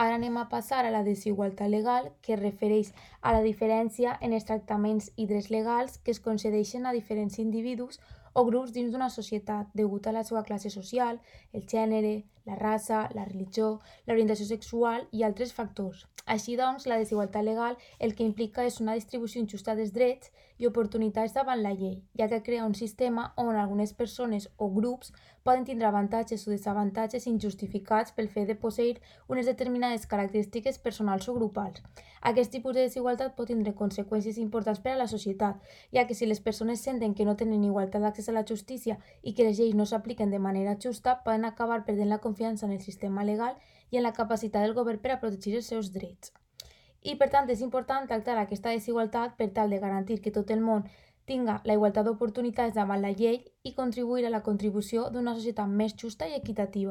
Ara anem a passar a la desigualtat legal, que es refereix a la diferència en els tractaments i drets legals que es concedeixen a diferents individus o grups dins d'una societat degut a la seva classe social, el gènere, la raça, la religió, l'orientació sexual i altres factors. Així doncs, la desigualtat legal el que implica és una distribució injusta dels drets i oportunitats davant la llei, ja que crea un sistema on algunes persones o grups poden tindre avantatges o desavantatges injustificats pel fet de posseir unes determinades característiques personals o grupals. Aquest tipus de desigualtat pot tindre conseqüències importants per a la societat, ja que si les persones senten que no tenen igualtat d'accés a la justícia i que les lleis no s'apliquen de manera justa, poden acabar perdent la confiança en el sistema legal i en la capacitat del govern per a protegir els seus drets. I per tant és important tractar aquesta desigualtat per tal de garantir que tot el món tinga la igualtat d'oportunitats davant la llei i contribuir a la contribució d'una societat més justa i equitativa.